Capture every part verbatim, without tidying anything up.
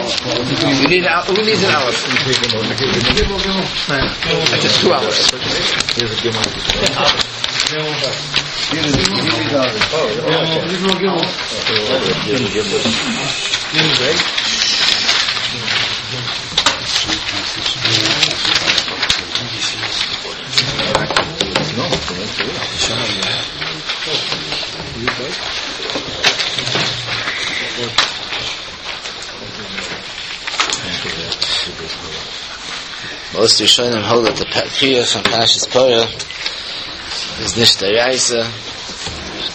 You need an, who needs an aleph? That's just two alephs. Most Rishonim hold that the Kriya from Parshas Parah is nicht Deraisa,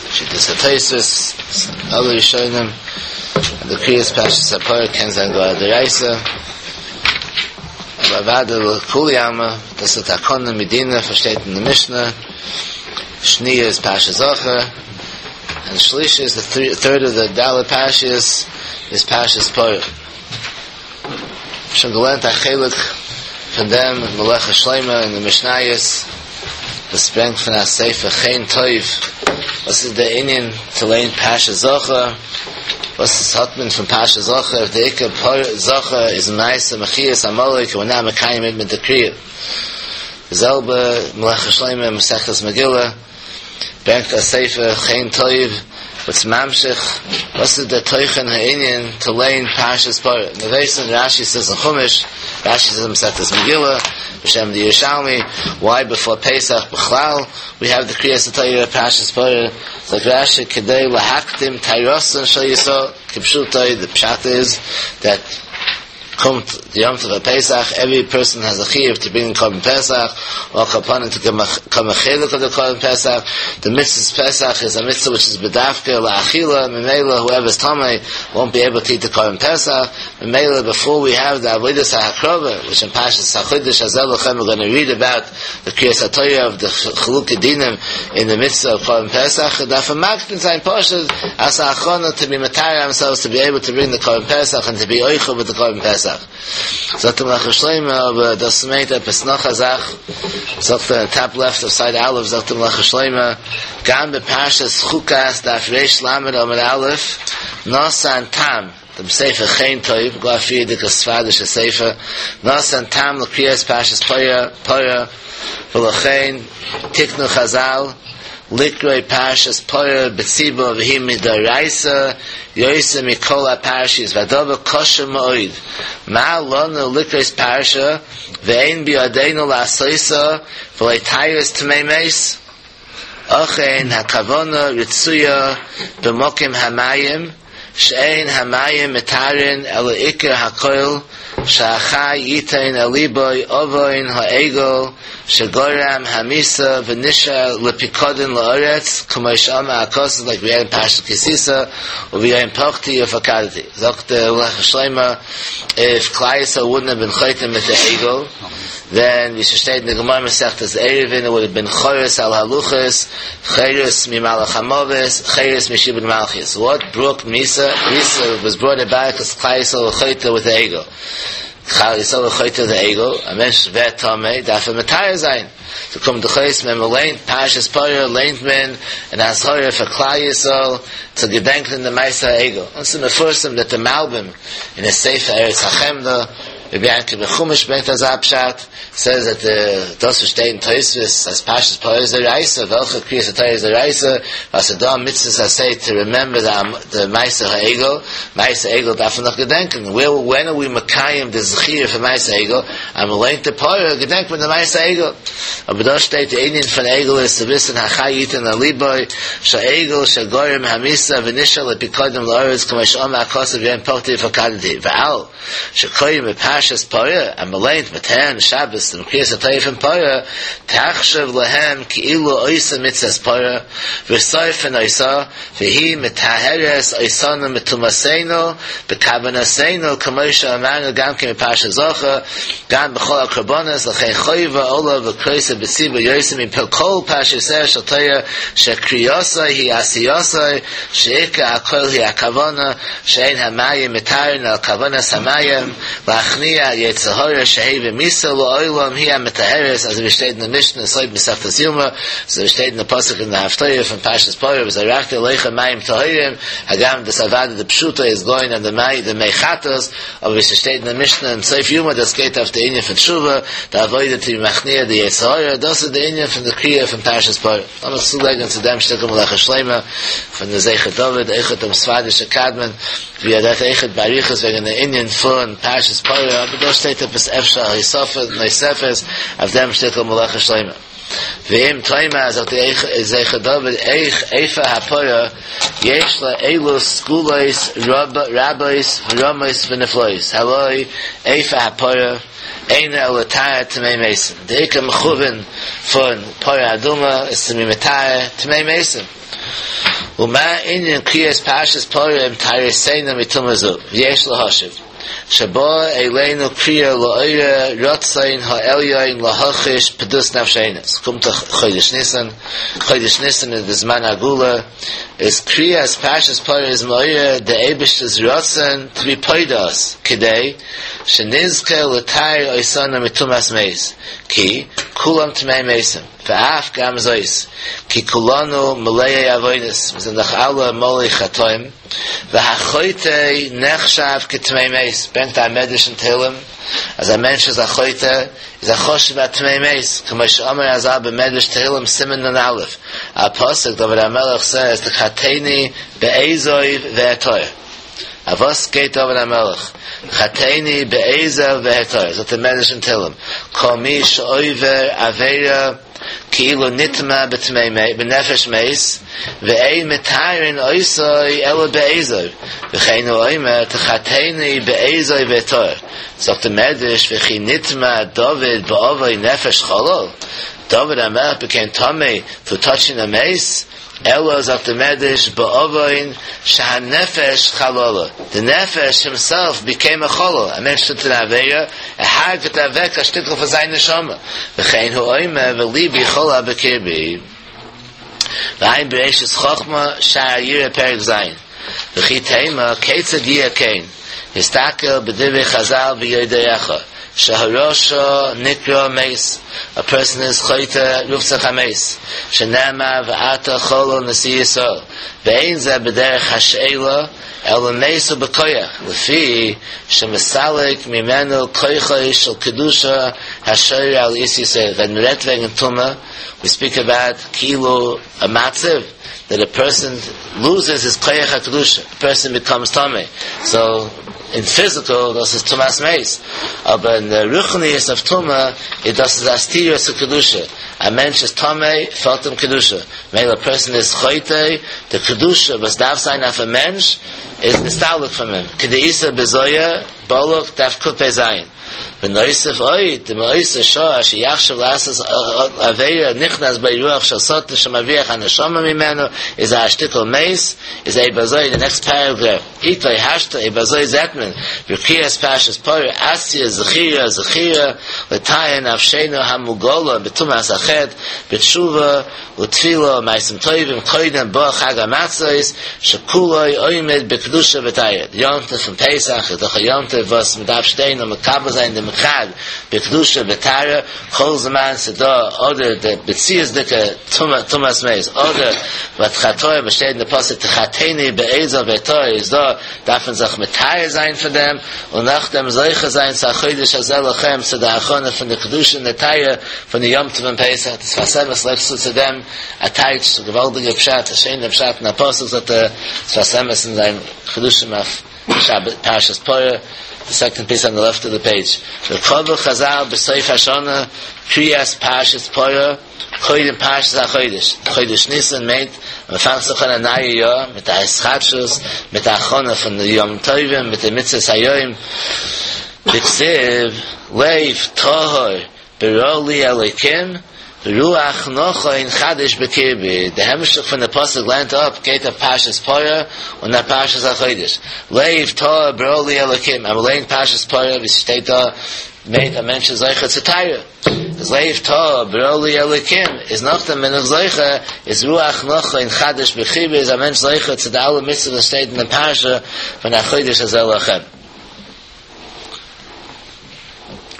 Shittas HaToisus, other Rishonim, and the Kriyas Parshas Parah can sein gar Deraisa. Aber Vada L'Kuliyama, das ist Takona Medina, versteht in der Mishnah, Shniya is Parshas Zocher, and Shlisha is the th- third of the Dalet Parshas, is Parshas Parah. Schon gelernt a von dem Melech Shleima in the Mishnayos, das bringt von a Sefer Chen Toiv. Was ist der Inyan to learn Pasha Zocher? Was ist hat man von Pasha Zocher? If the Ikka Zocher is Maisa Mechias Amalek, we're not Mekayim mit the Kriya. Selbe Melech Shleima Masechtas Megillah bringt a Sefer Chen Toiv, what's Mamshich? What's the Teuchen Ha'inyan to learn Parshas Parah? In the Vesan, Rashi says in Chumash, Rashi says in Masechtas Megillah, B'Shem the Yerushalmi, why before Pesach, B'chlal, we have the Kriyas HaTorah, Parshas Parah. It's like Rashi, Kedei Lahaktim Tairosan Shal Yisrael, Kipshutoi, the Pshat is that kommt the Yom Tov Pesach, every person has a chiyuv to bring Korban Pesach, or kapanim to come a chelik of the Korban Pesach. The mitzvah Pesach is a mitzvah which is bedafka la'achila, memela, whoever's tamei won't be able to eat the Korban Pesach. Memela, before we have the Avodas HaHakrova, which in Parshas HaChodesh Hazel Lechem we're going to read about the Kriyas HaTorah of the Chaluk Dinim in the mitzvah of Korban Pesach, darf makdin sein Poshet as ha'achona to be matayr themselves to be able to bring the Korban Pesach and to be oichel with the Korban Pesach. Sagt der Melech Shleima, aber das meint etwas noch a Sach. Sagt der top left of side Aleph, sagt der Melech Shleima, Gam beParshas Chukas daf Reish Lamed Amud Aleph, Nosan Tam, dem Sefer Chen Toiv, Glafir dike Sfadische Sefer, Nosan Tam l'Kriyas Parshas Parah, Parah, V'lachein, Tiknu Chazal, Likroi Parshas Parah B'tzibo v'hi midaraisa Yoyse mikol ha-parshis V'adova kosher ma'oid Ma lonu likrois parsha V'ein bi'adeinu la'asoisa V'leitayis t'mei meis Ochein ha'kavona ritzuya B'mokim ha'mayim She'ein ha'mayim mitarin Ela ikir ha'koil Sha'achai yitain aliboy Ovoin ha'egel Shagoram hamisa v'nisha lepikodin la'oretz K'mo sh'ama ha'kos, like we had in Parshas Kisisa u'v'yayin pochti u'fakadati. Zok the Lech Shleima, if Klal Yisrael wouldn't have been chaytim with the egel, then we should state in the Gemara Masechtas Eruvin, it would have been chores al haluchas, chores mimalach hamoves, chores mishibud malchus. What broke Misa? Misa was brought about because Klal Yisrael was chaytim with the egel. Chal Yisrael chayte the egel, a mensch vet tame, darf er metayr sein. So kommt der Chayes, men leint, Parshas Parah, leint men, and Ashara for Klal Yisrael, to gedenken in the Maisa Egel. And so the first that the Malbim, in the Sefer Eretz HaChemda, Rabbi Yankiv Chumash bringt das Abshat, says that the, das verstehen Tosfos, as Parshas Parah is the Reisa, welche Kriyas HaTorah is the Reisa, was the Dam Mitzvahs say to remember the, the Maisa HaEgel, Maisa Egel darf man noch gedenken. Where, when are we Makayim the Zechir for Maisa Egel? I'm leint the Parah, gedenken with the Maisa Egel. Aber da steht, der Inyan von Egel ist zu wissen, Hachai Yitin Aliboy, Sha'egel, Sha'gorim, Hamisa, V'nisha, Lepikodim, La'oretz, K'mo Sh'oma, HaKosav, V'yen Pokti, V'kadati. V'al, Sh'koyim, Parshas Parah, and Meleint, Matan, Shabbos, and Kriyas HaTorah from Parah, Tachshav Lahem, Ki'ilu Oisa Mitzvahs Parah, V'soif and Oisa, V'hi Mitaheres Oisana Mitumaseinu, B'kavanaseinu, K'mo Sh'amanu, Gam Kim Parshas Zocher, Gam B'chol HaKorbanos, L'chein Choyva, Ola, V'kroisa, B'tziba, Yosim, Kol Parshas Shel Torah, Shekriyosai, Hi Asiyosai, She'ika HaKol Hi HaKavana, She'ein HaMayim Mitarin Al Kavanas HaMayim, Lachni להכניע יצר הרע שהביא מיתה לעולם היא המטהרת, אזוי ווי שטייט אין די משנה סוף מסכת יומא, אזוי ווי שטייט אין די פסוק אין די הפטורה פון פרשת פרה וזרקתי עליכם מים טהורים, הגם דאס אוודאי די פשוטו איז גאוינג אן די מי די מי חטאת, אבער ווי ס'שטייט אין די משנה אין סוף יומא דאס גייט אויף די ענין פון תשובה, די עבודה צו מכניע די יצר הרע, דאס איז די ענין פון די קריאה פון פרשת פרה. לאמיר צולייגן צו דעם שטיקל מלאכת שלמה פון די זכר דוד, אויכעט דעם ספרדישע קדמון, ווי ער רעדט אויכעט באריכות וועגן די ענין פון פרשת פרה, אבער דא שטייט עפעס אפשר א הוספה נוספת אויף דעם שטיקל מלאכת שלמה. ואם תאמר זאגט די זכר דוד איך אפר הפרה יש לה אלו סגולות רבות ורמות ונפלאות הלא אפר הפרה אינו אלא לטהר טמאי מתים די עיקר מכוון פון פרה אדומה איז צו be מטהר טמאי מתים ומה ענין קריאת פרשת פרה עם טהרתנו מטומאה זו ויש להשיב שבא אלינו קריאה לעורר רצון העליון להחיש פדות נפשינו עס קומט דאך חודש ניסן חודש ניסן איז די זמן הגאולה איז קריאת פרשת פרה איז מעורר די אייבערשטער'ס רצון to be פודה us כדי שנזכה לטהר אותנו מטומאת מת כי כולם טמאי מתים ואף גם זאת כי כולנו מלאי עוונות מיר זענען דאך אלע מלא חטאים והחוטא נחשב כטמא מת ברענגט א מדרש אין תהלים אז א מענטש איז א חוטא איז א חשוב א טמא מת כמו שאמר רז"ל במדרש תהלים סימן נ"א א פסוק דוד המלך says תחטאני באזוב ואטהר אויף וואס גייט דוד המלך תחטאני באזוב ואטהר זאגט דער מדרש אין תהלים כל מי שעובר עבירה כאילו נטמא בטמא בנפש מת ואין מטהרין אותו אלא באזוב וכן הוא אומר תחטאני באזוב ואטהר זאגט דער מדרש וכי נטמא דוד בעוון נפש חלל דוד המלך became טמא for touching a מת אלא זאגט דער מדרש בעוון שהנפש חללה the נפש himself became a חלל א מענטש טוט אן עבירה ער הרג'ט אוועק א שטיקל פון זיין נשמה וכן הוא אומר ולבי חלל בקרבי ועיין בראשית חכמה שער היראה פרק ז' וכי תימא כיצד יהיה כן הסתכל בדברי חז"ל ויודעך שהרשע נקרא מת a person is חוטא רופט זיך א מת שנאמר ואתה חלל נשיא ישראל ואין זה בדרך השאלה אלא מת הוא בכוח לפי שמסלק ממנו כוחו של קדושה השורה על איש ישראל ווען מ'רעדט וועגן טומאה we speak about כאילו a מצב that a person loses his כח הקדושה a person becomes טמא so in physical דאס איז טומאת מת אבער אין the רוחניות of טומאה it דאס איז א סתירה צו קדושה א מענטש איז טמא פעלט אים קדושה ממילא a person is חוטא the קדושה וואס דארף זיין אויף א מענטש איז נסתלק from him כדאיתא בזוהר בלק דף קפ"ז ונוסף עוד דמאותה שעה שיחשב לעשות עבירה נכנס בו רוח של שטן שמבריח הנשמה ממנו איז א שטיקל מת איז אויב אזוי the next paragraph איתו השתא אויב אזוי זעט מען בקריאת פרשת פרה אתיא זכירה זכירה לטהר נפשנו המוגלה בטומאת החטא בתשובה ותפילה ומעשים טובים קודם בוא חג המצות שכולו עומד בקדושה וטהרה יום טוב פון פסח איז דאך א יום טוב וואס מען דארף שטיין און מקבל זיין דעם חג בקדושה וטהרה כל זמן ס'דא אדער די מציאות'דיגע טומאת מת אדער ותחטאו וואס שטייט אין די פסוק תחטאני באזוב ואטהר איז דא דארף מען זיך מטהר זיין פון דעם און נאכדעם זוכה זיין צו החודש הזה לכם צו די הכנה פון די קדושה און די טהרה פון די יום טוב פון פסח די שפת אמת לייגט צו צו דעם א טייטש א געוואלדיגע פשט א שיינע פשט אין א פסוק זאגט דער שפת אמת אין זיין חידושים אויף שבת פרשת פרה the second piece on the left of the page וקבעו חז"ל בסוף השנה קריאת פרשת פרה קודם פרשת החודש חודש ניסן מיינט מען פאנגט זיך אן א נייע יאר מיט א התחדשות מיט א הכנה פון די ימים טובים מיט די מצוות היום דכתיב לב טהור ברא לי אלוקים רוח נכון חדש בקרבי די המשך פון די פסוק לערנט אפ גייט אויף פרשת פרה און אויף פרשת החודש לב טהור ברא לי אלוקים אז מ'ליינט פרשת פרה ווי ס'שטייט דא מיינט א מענטש איז זוכה צו טהרה איז לב טהור ברא לי אלוקים איז נאכדעם בין איך זוכה איז רוח נכון חדש בקרבי איז א מענטש זוכה צו די אלע מצוות וואס שטייט אין די פרשה פון החודש הזה לכם.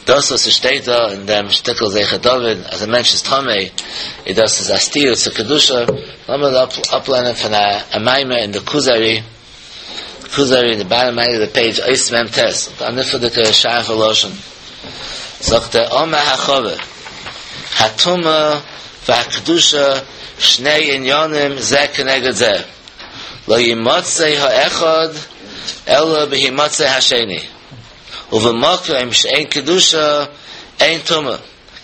דאס וואס עס שטייט דא אין דעם שטיקל זכר דוד אז א מענטש איז טמא איז דאס איז א סתירה צו קדושה, לאמיר אפלערנען פון א מאמר אין די כוזרי, כוזרי אין די באטאם רייט אוו די פעידזש אות מ ט, א נפלא'דיגע שארפע לשון, זאגט ער אמר החבר, הטומאה והקדושה שני עניינים זה כנגד זה, לא ימצא האחד אלא בהימצא השני. ובמקום שאין קדושה אין טומאה,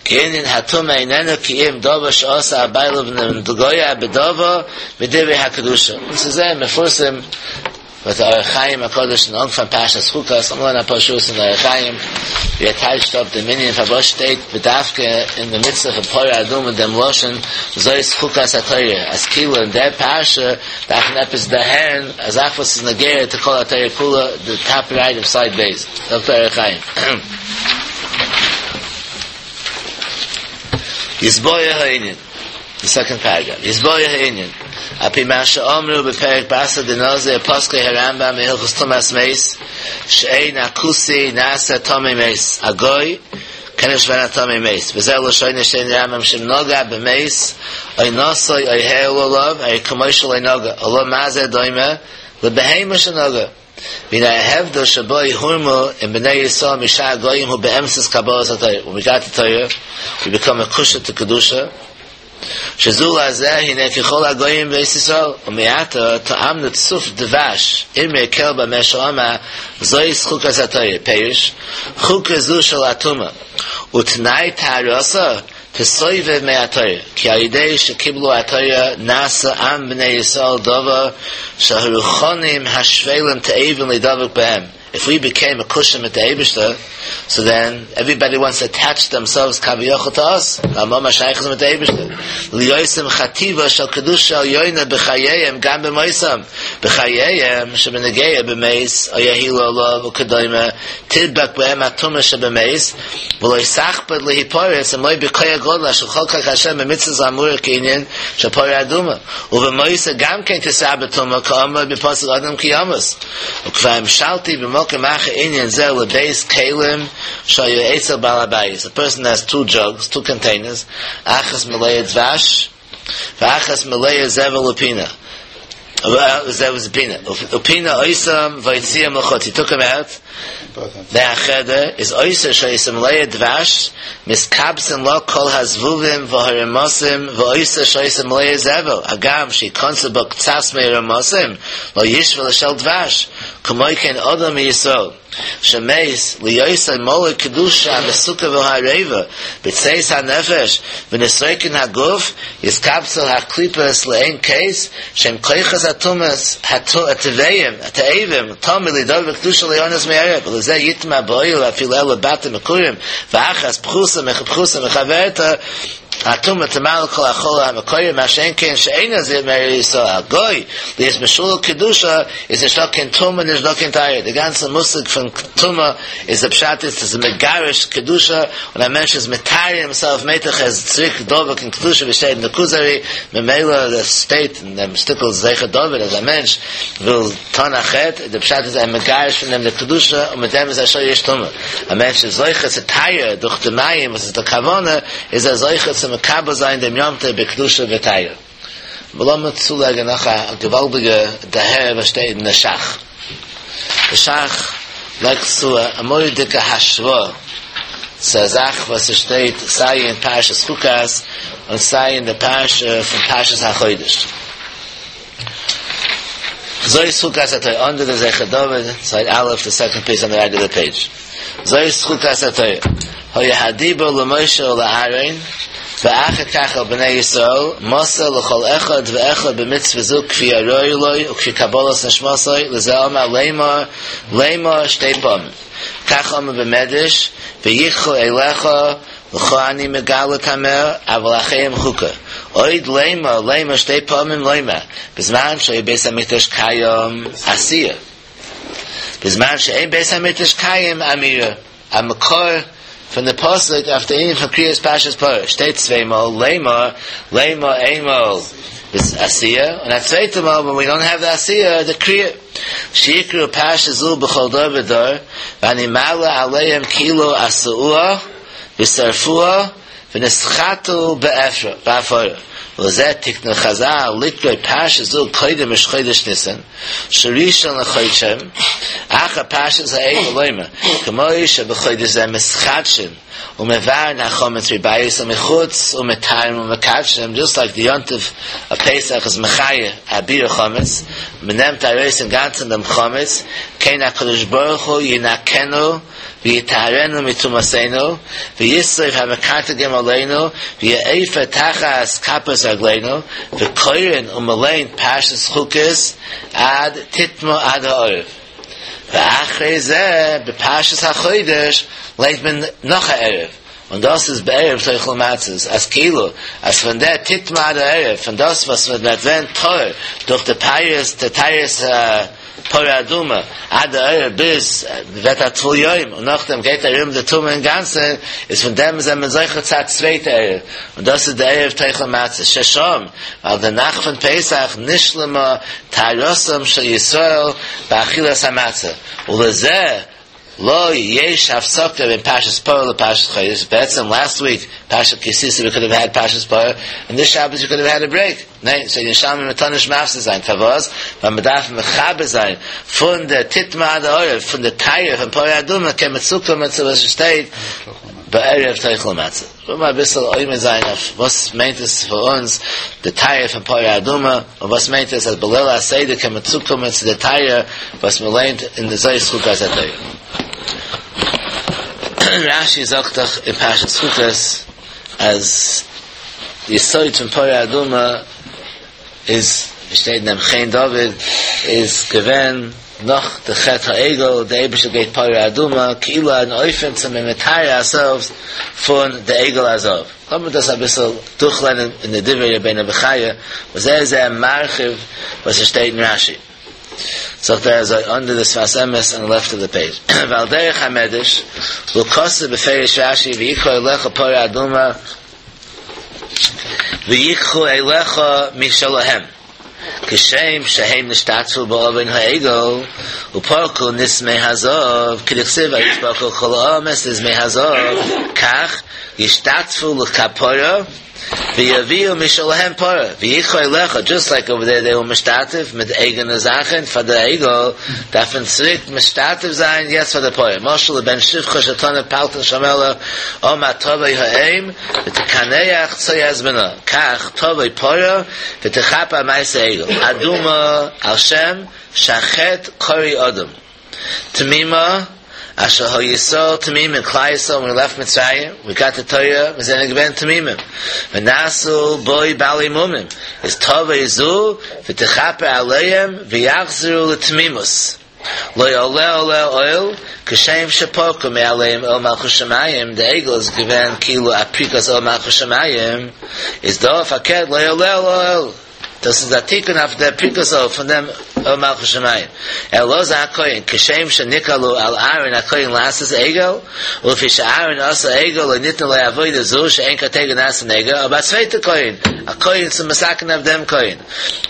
כי ענין הטומאה איננו כי אם דבר שעשה הבעלים לנגוע בדבר מדברי הקדושה. דאס איז זייער מפורסם וואס דער אור החיים הקדוש אין אנפאנג פרשת חוקת, לאמיר לערנען אפאר שורות אין אור החיים ווי ער טייטשט אפ דעם ענין פארוואס שטייט בדווקא אין די מצוה פון פרה אדומה דעם לשון זאת חוקת התורה, אז כאילו אין דער פרשה דארף מען עפעס דערהערן א זאך וואס איז נוגע צו כל התורה כולה, די טאפ רייט אוו סייד ב', זאגט דער אור החיים. יתבאר הענין, די סעקאנד פאראגראף, יתבאר הענין, על פי מה שאמרו בפרק בתרא דנזיר פסקו הרמב ם בהלכות טומאת מת, שאין הכותי נעשה טמא מת, א גוי קען נישט ווערן א טמא מת, וזה לשונו שטייט אין רמב ם שאם נגע במת או נשאו או העיל עליו הרי כמו שלא נגע, אלא מה זה דומה לבהמה שנגע, והנה ההבדל שבו הורמו עם בני ישראל משאר הגויים הוא באמצעות קבלת התורה, when we got the Torah we become מקושר to קדושה, שזו לזה הנה ככל הגויים בית ישראל, ומעתה טעמנו צוף דבש, אמרי הקל במה שאמר זאת חוקת התורה, פירוש, חוקה זו של הטומאה, ותנאי טהרתה תסובב מהתורה, כי על ידי שקיבלו התורה נעשה עם בני ישראל דבר שהרוחנים השפלים תאבים להידבק בהם. If we became מקושר מיט די אייבערשטער, so then everybody wants to attach themselves כביכול to us. ווייל מ'האט א שייכות מיט די אייבערשטער. להיותם חטיבה של קדושה עליונה בחייהם גם במותם. בחייהם שבנוגע במת או יהילו עליו וכדומה תדבק בהם הטומאה שבמת ולא יסחפד להיפרץ אם לא בכח גדול אשר חקק השם במצוות האמורה כענין של פרה אדומה ובמותו גם כן תתרבה טומאה כאמור בפסוק אדם כי ימות וכבר המשלתי במקום אחר ענין זה לב' כלים שהיו אצל בעל הבית. A person has two jugs, two containers, אחת מלאה דבש ואחת מלאה זבל ופינה. זבל ופינה. ופינה אותם והוציאם לחוץ. He took them out. מהחדר איז אותה שהיתה מלאה דבש מתקבצין לה כל הזבובים והרמשים ואותה שהיתה מלאה זבל הגם שיכנסו בה קצת מהרמשים לא ישווה לשל דבש כמו כן אדם מישראל שמת להיותו מלא קדושה המתוקה והערבה בצאת הנפש ונסרקין הגוף יתקבצו הקליפות לאין קץ שהם כוחות הטומאות הטבעיים התאבים תמיד להידבק בקדושה ליהנות מערב ולזה יטמע באוהל אפילו אלו בתים מקורים ואחת פחוסה פחוסה מחברתה הטומאה תמלא כל החלל המכוער מה שאין כן שאין נזיר מארץ ישראל הגוי להיות משולל קדושה איז נישטא קיין טומאה נישטא קיין טהרה די גאנצע מושג פון טומאה איז די פשט איז ס'איז מגרש קדושה און א מענטש איז מטהר himself מיינט ער איז צוריק דבוק אין קדושה ווי שטייט אין די כוזרי ממילא דאס שטייט אין דעם שטיקל זכר דוד אז א מענטש וויל טון א חטא די פשט איז ער מגרש פון דעם די קדושה און מיט דעם איז א שורש טומאה א מענטש איז זוכה צו טהרה דורך די מים וואס איז די כוונה איז ער זוכה צו מקבל זיין דעם יום טוב בקדושה וטהרה. לאמיר צולייגן נאך א געוואלדיגע דערהער וואס שטייט אין די שך. די שך לייגט צו א מורא'דיגע השוואה צו א זאך וואס עס שטייט סיי אין פרשת חוקת און סיי אין די פרשה פון פרשת החודש. זאת חוקת התורה, אנדער די זכר דוד, סייד א', די סעקאנד פיס אן די רייט אוו די פעידזש. זאת חוקת התורה, היה הדיבור למשה ולאהרן, ואחר כך אל בני ישראל, מסר לכל אחד ואחד במצוה זו כפי הראוי לו וכפי קבלת נשמתו, לזה אמר לאמור, לאמור שתי פעמים. כך אמר במדרש, ויקחו אליך, לך אני מגלה תמר, אבל לאחרים חוקה. עוד לאמור, לאמור שתי פעמים לומר, בזמן שהיה בית המקדש קיים עשיה. בזמן שאין בית המקדש קיים אמירה. א מקור פון די פסוק אויף די ענין פון קריאת פרשת פרה שטייט צוויי מאל לאמור, לאמור איינמאל עשייה, און א צווייטע מאל when we don't have the עשייה, the קריאה. שיקראו פרשה זו בכל דור ודור, ואני מעלה עליהם כאילו עשאוה ושרפוה ונשחטו בעפרה. ולזה תקנו חז"ל לקרוא פרשה זו קודם ראש חודש ניסן, שראשון לחודשם, אחר פרשת העגל לומר, כמו שבחודש זה מתחדשין ומבערין החמץ מבית ומחוץ ומטהרין ומקדשין, just like the יום טוב of Pesach is מחיה א ביעור חמץ, מ'נעמט ארויס אינגאנצן דעם חמץ, כן הקדוש ברוך הוא ינקנו ויטהרנו מטומאתנו, וישרוף המקטרגים עלינו, ויעפר תחת כפות רגלינו, וקורין ומליין פרשת חוקת עד תטמא עד הערב. ואחרי זה, בפרשת החודש, ליינט מען נאך א ערב. און דאס איז בערב תאכלו מצות, אז כאילו, אז פון דער תטמא עד הערב, פון דאס וואס מ'וועט ווערן טהור דורך די פייערס, די טהרת פרה אדומה, עד הערב ביז מ'ווערט א טבול יום, און נאכדעם גייט ארום די טומאה אינגאנצן, איז פון דעם זענען מיר זוכה צו א צווייטע ערב, און דאס איז די ערב תאכלו מצות, ששם, ווייל די נאכט פון פסח נשלמה טהרתם של ישראל באכילת המצה, ולזה לא יש הפסקה בין פרשת פרה לפרשת חודש, בעצם last week פרשת כי תשא we could have had פרשת פרה, and this Shabbos we could have had a break. ניין, ס'איז ירושלמי מ'טאר נישט מפסיק זיין, פארוואס? ווייל מ'דארף מחבר זיין פון די תטמא עד הערב, פון די טהרה פון פרה אדומה קען מען צוקומען צו וואס שטייט בערב תאכלו מצה. לאמיר אביסל עומד זיין אויף וואס מיינט עס פאר אונז די טהרה פון פרה אדומה, און וואס מיינט עס אז בליל הסדר קען מען צוקומען צו די טהרה וואס מען לערנט אין די זאת חוקת התורה. רש"י זאגט דאך אין פרשת חוקת אז די יסוד פון פרה אדומה איז, ווי שטייט אין דעם חן דוד, איז געווען נאך די חטא העגל, די אייבערשטער געבט פרה אדומה כאילו אן אופן צו מען מטהר ourselves פון די עגל הזהב. לאמיר דאס אביסל דורכלערנען אין די דברי רבינו בחיי, וואס ער איז זייער מרחיב וואס עס שטייט אין רש"י. זאגט ער אזוי under the שפת אמת on the left of the page, ועל דרך המדרש, והוא כתב בפירוש רש"י ויקחו אליך פרה אדומה ויקחו אליך משלהם כשם שהם נשתתפו בעוון העגל ופרקו נזמי הזהב כדכתיב ויתפרקו כל העם את נזמי הזהב כך ישתתפו לכפרה ויביאו משלהם פרה ויקחו אליך just like over there they were משתתף מיט אייגענע זאכן פאר די עגל דארף מען צוריק משתתף זיין יעצט פאר די פרה משל לבן שפחה שטנף פלטין של מלך אמר תבוא האם ותקנח צואת בנה כך תבוא פרה ותכפר על מעשה עגל אדומה על שם שהחטא קרוי אדום תמימה אשר היו ישראל תמימים כלל ישראל when we left מצרים we got the Torah מיר זענען געווען תמימים ונעשו בו בעלי מומים איז תבוא זו ותכפר עליהם ויחזרו לתמימות לא עולה עליה עול כשם שפרקו מעליהם עול מלכות שמים די עגל איז געווען כאילו א פריקת עול מלכות שמים איז דא פארקערט לא עולה עליה עול דאס איז א תיקון אויף דער פריקת עול פון דעם עול מלכות שמים. אלעזר הכהן, כשם שנקהלו על אהרן הכהן לעשות עגל, ולפי שאהרן עשה עגל לא ניתנה לו עבודה זו שאין קטיגור נעשה נגע, אבער א צווייטער כהן, א כהן צו מתקן אויף דעם כהן.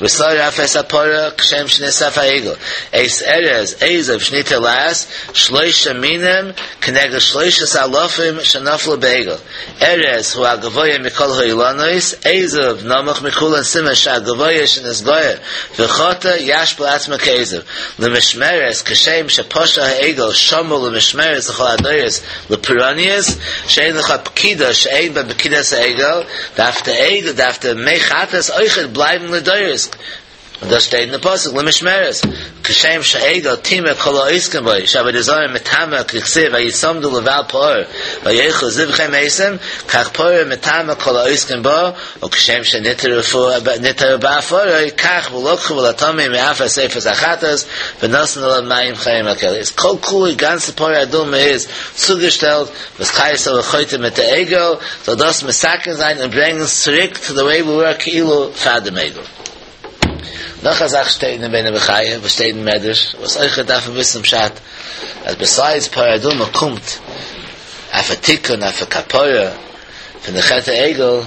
ושרף את הפרה כשם שנשרף העגל. את ארז אזוב שניתן לעש, שלושה מינים כנגד שלושת אלפים שנפלו בעגל. ארז הוא הגבוה מכל האילנות, אזוב נמוך מכולן סימן שהגבוה שנתגאה וחטא ישפיל עצמו כאזוב. למשמרת כשם שפשע העגל שמור למשמרת לכל הדורות לפורעניות, שאין לך פקידה שאין בה פקידת העגל, דארף די עגל, דארף די מי חטאת אויכעט בלייבן לדורות. און דאס שטייט אין די פסוק למשמרת, כשם שהעגל טימא כל העוסקים בו, שעבודה זרה מטמאה כדכתיב ויצמדו לבעל פעור ויאכלו זבחי מתים, כך פרה מטמאה כל העוסקים בה, וכשם שנטהרו בעפרו, כך ולקחו ולטמא מעפר ספר החטאת, ונתנו עליו מים חיים הכלי. איז כל כולו גאנצע פרה אדומה איז צוגעשטעלט, וואס כלל ישראל חוטא מיט די עגל, זאל דאס מתקן זיין און ברענגען צוריק to the way we were כאילו פאר דעם עגל. נאך א זאך שטייט אין רבינו בחיי, וואס שטייט אין מדרש, וואס אויך דארף מען וויסן פשט, אז besides פרה אדומה קומט אויף א תיקון, אויף א כפרה, פון די חטא העגל,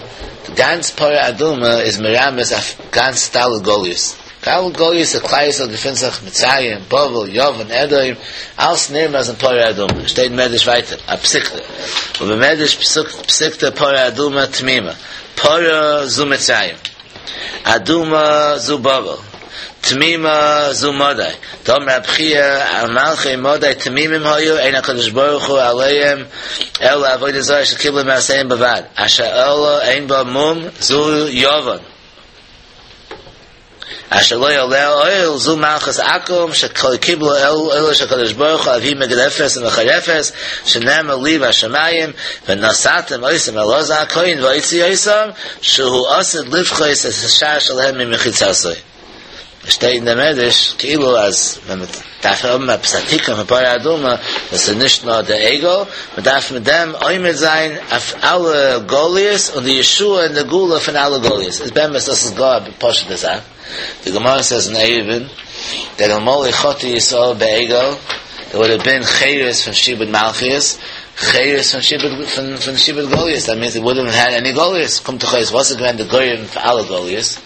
די גאנץ פרה אדומה איז מרמז אויף גאנץ ד' גליות. ד' גליות דער כלל ישראל געפינט זיך, מצרים, בבל, יוון, אדום, אלס נרמז אין פרה אדומה. שטייט אין מדרש ווייטער, א פסיקתא, ובמדרש פסיקתא פרה אדומה תמימה, פרה זו מצרים. אדומה זו בבל, תמימה זו מדי, דאמר רב חייא מלכי מדי תמימים היו, אין הקדוש ברוך הוא עליהם אלא עבודה זרה שקיבלו מאבותיהם בלבד, אשר אלה אין בה מום זו יוון, אשר לא עליה עול זו מלכות עכו"ם שקיבלו עולו של הקדוש ברוך הוא אף היא מגדפת ומחרפת שנאמר לי בשמים ונתתם אותם אל אלעזר הכהן והוציא אותם שהוא עתיד לפחות את השער שלהם ממחיצתו. שטייט אין דער מדרש כאילו אז ווען מען דארף האבן עפעס א תיקון פון פרה אדומה דאס איז נישט נאר דער עגל, מען דארף מיט דעם עומד זיין אויף אלע גליות און די ישועה און די גאולה פון אלע גליות, איז באמת דאס איז גאר א פשוט'ע זאך, די גמרא סעז אין עירובין דעט אלמלא חטאו ישראל בעגל דער וואלד האב בין חירות פון שעבוד מלכיות, חירות פון שעבוד פון פון שעבוד גליות, דעט מינס דעי וואלדנט האב העד עני גליות, קומט דאך אויס וואס איז געווען די גורם פאר אלע גליות?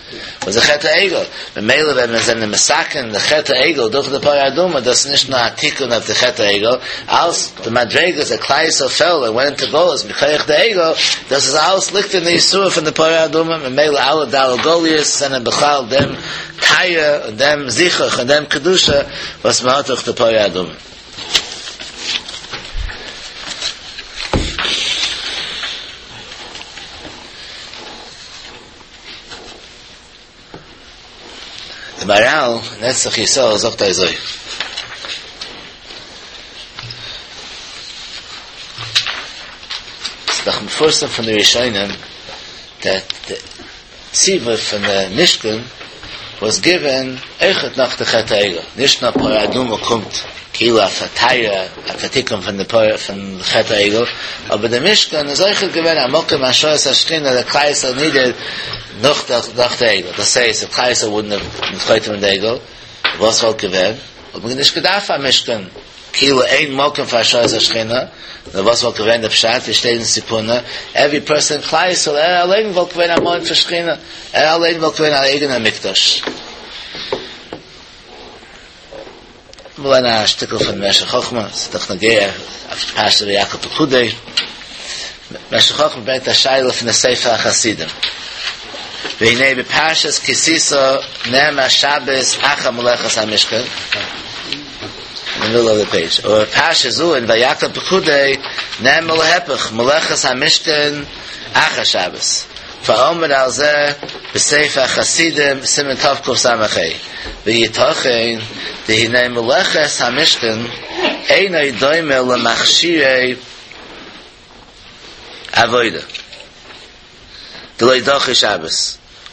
וואס די חטא העגל, ממילא ווען מיר זענען מתקן די חטא העגל דורך די פרה אדומה, דאס איז נישט נאר א תיקון אויף די חטא העגל, אלס די מדריגות דעט כלל ישראל פעל און ווענט אינטו גלות מכח די עגל, דאס איז אלעס ליגט אין די ישועה פון די פרה אדומה, ממילא אלע ד' גליות זענען בכלל דעם טהרה און דעם זיכוך און דעם קדושה וואס מען האט דורך די פרה אדומה. די מהר"ל נצח ישראל זאגט אזוי. ס'איז דאך מפורסם פון די ראשונים דעט די ציווי פון די משכן וואס גיווען אויכעט נאך די חטא העגל, נישט נאר פרה אדומה קומט כאילו אויף א טהרה אויף א תיקון פון די פרה פון חטא העגל, אבער די משכן איז אויכעט געווען א מקום השראת השכינה דעט כלל ישראל נידעד נאך די נאך די עגל, דאס הייסט איף כלל ישראל וואלדנט האב חוטא מיט די עגל, וואס וואלט געווען? וואלט מען נישט געדארפט א משכן. כאילו אין מקום פאר השראת השכינה, נאר וואס וואלט געווען די פשט ווי שטייט אין ספורנו, עווערי פערסאן אין כלל ישראל ער אליין וואלט געווען א מעון פאר שכינה, ער אליין וואלט געווען א אייגענער מקדש. מיר לערנען א שטיקל פון משך חכמה, ס'איז דאך נוגע אויף פרשת ויקהל פקודי, משך חכמה ברענגט א שאלה פון די ספר החסידים, והנה בפרשת כי תשא נאמר שבת אחר מלאכת המשכן, אין די מידל אוו די פעידזש, ובפרשה זו אין ויקהל פקודי נאמר להיפך מלאכת המשכן אחר שבת, ועמד על זה בספר החסידים סימן תקס"ה, ויתכן דהנה מלאכת המשכן אינו דומה למכשירי עבודה דלא דחי שבת,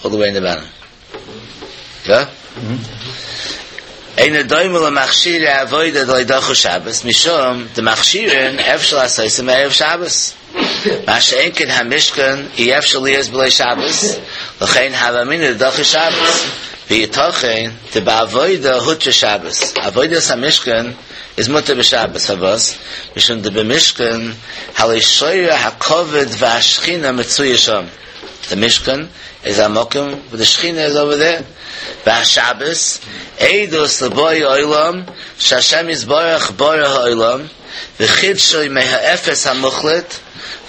אלל די וועי אין די באטאם. יא? אינו דומה למכשירי עבודה דלא דחו שבת, משום דמכשירין אפשר לעשותם מערב שבת. מה שאין כן המשכן אי אפשר להיות בלא שבת, לכן הוה אמינא דדחי שבת. ויתכן דבעבודה הותרה שבת, עבודת המשכן איז מותר בשבת, פארוואס? משום דבמשכן הלא שורה הכבוד והשכינה מצויה שם. די משכן איז א מקום וואו די שכינה איז אווער דער, והשבת עדות לבאי עולם שהשם יתברך ברא העולם וחידשו מהאפס המוחלט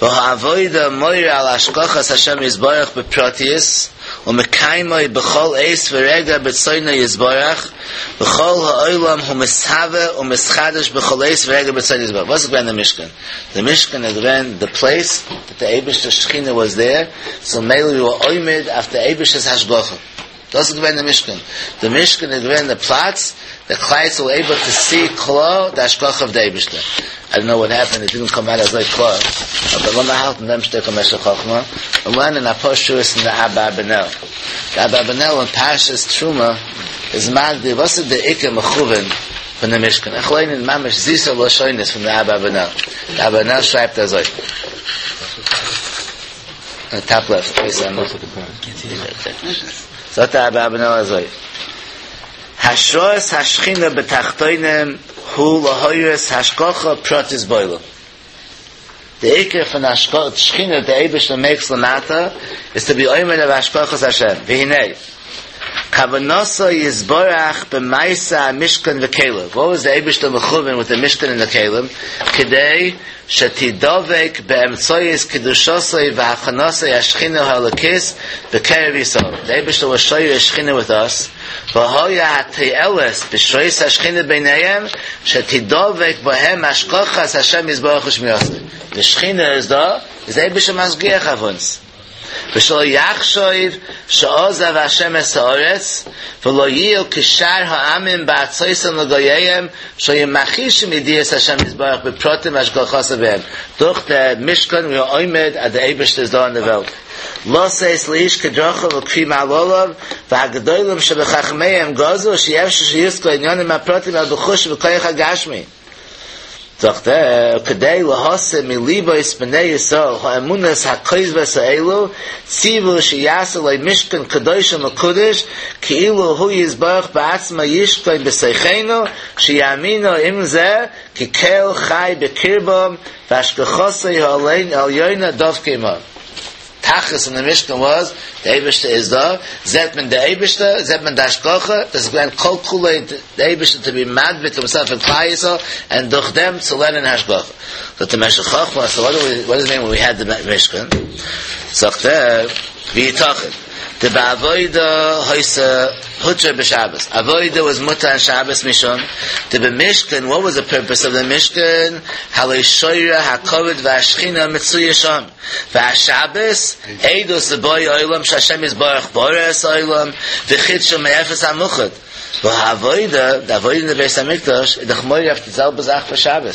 והעבודה מורה על השגחת השם יתברך בפרטיות ומקיימו בכל עת ורגע ברצונו יתברך וכל העולם הוא מתהווה ומתחדש בכל עת ורגע ברצונו יתברך. וואס איז געווען די משכן? די משכן איז געווען די פלעיס דעט די אייבערשטער'ס שכינה וואס דער, סאו מילא ווי ווער עומד אויף די אייבערשטער'ס השגחה. דאס איז געווען די משכן. די משכן איז געווען די פלאץ דעט כלל ישראל ווער עיבל טו סי קלאר די השגחה אוו די אייבערשטער. איי דאנט נאו וואט העפענד איט דידנט קאם אוט אזוי קלאר, אבער לאמיר האלטן דעם שטיקל משך חכמה און לערנען אפאר שורות אין די אברבנאל. די אברבנאל אין פרשת תרומה איז מגדיר וואס איז די עיקר מכוון פון די משכן. איך ליין ממש זיסע לשונות פון די אברבנאל. די אברבנאל שרייבט אזוי. אין טאפ לעפט. זאגט די אברבנאל אזוי. השראת השכינה בתחתונים הוא להורות השגחה פרטית בעולם. די עיקר פון שכינה די אייבערשטער makes למטה איז to be עומד אויף השגחת השם. והנה כוונתו יתברך במעשה המשכן וכליו. What was the אייבערשטער מכוון with the משכן and the כלים? כדי שתדבק באמצעות קדושתו והכנתו השכינה האלוקית בקרב ישראל. The אייבערשטער was שורה שכינה with us. והיה התועלת בשורת השכינה ביניהם שתדבק בהם השגחת השם יתברך ושמירתו. The שכינה איז דא, איז דער אייבערשטער משגיח אויף אונז. ושלא יחשוב שעזב השם את הארץ ולא יהיו כשאר העמים בארצותם לגוייהם שהיו מכחישים ידיעת השם יתברך בפרטים השגחתו בהם. דורך די משכן we are עומד אז דער אייבערשטער איז דא אין די וועלט. לתת לאיש כדרכיו וכפי מעלליו והגדולים שבחכמיהם גזרו שאי אפשר שיושגו עניינים הפרטים אלא בחוש ובכוח הגשמי. זאגט ער, כדי להסיר מלבות בני ישראל האמונות הכוזבות האלו, ציוו שיעשו לו משכן קדוש ומקודש, כאילו הוא יתברך בעצמו ישכון בתוכנו, שיאמינו עם זה, כי קל חי בקרבם, והשגחתו העליונה דבקה עמם. תכלית אין די משכן was, דער אייבערשטער איז דא, זעט מען דער אייבערשטער, זעט מען די השגחה, דאס איז געווען כל כולו דער אייבערשטער to be מדביק himself in כלל ישראל, and דורך דעם צו לערנען השגחה. זאגט דער משך חכמה, so what do we, what does it mean when we had the משכן? זאגט ער, ויתכן, דבעבודה היתה הותרה בשבת. עבודה was מותר on שבת משום. דבמשכן, what was the purpose of the משכן? הלא שורה הכבוד והשכינה מצויה שם. והשבת, עדות לבאי עולם שהשם יתברך ברא את העולם, וחידשו מאפס המוחלט. והעבודה, די עבודה אין די בית המקדש, איז דאך מורה אויף די זעלבע זאך פאר שבת.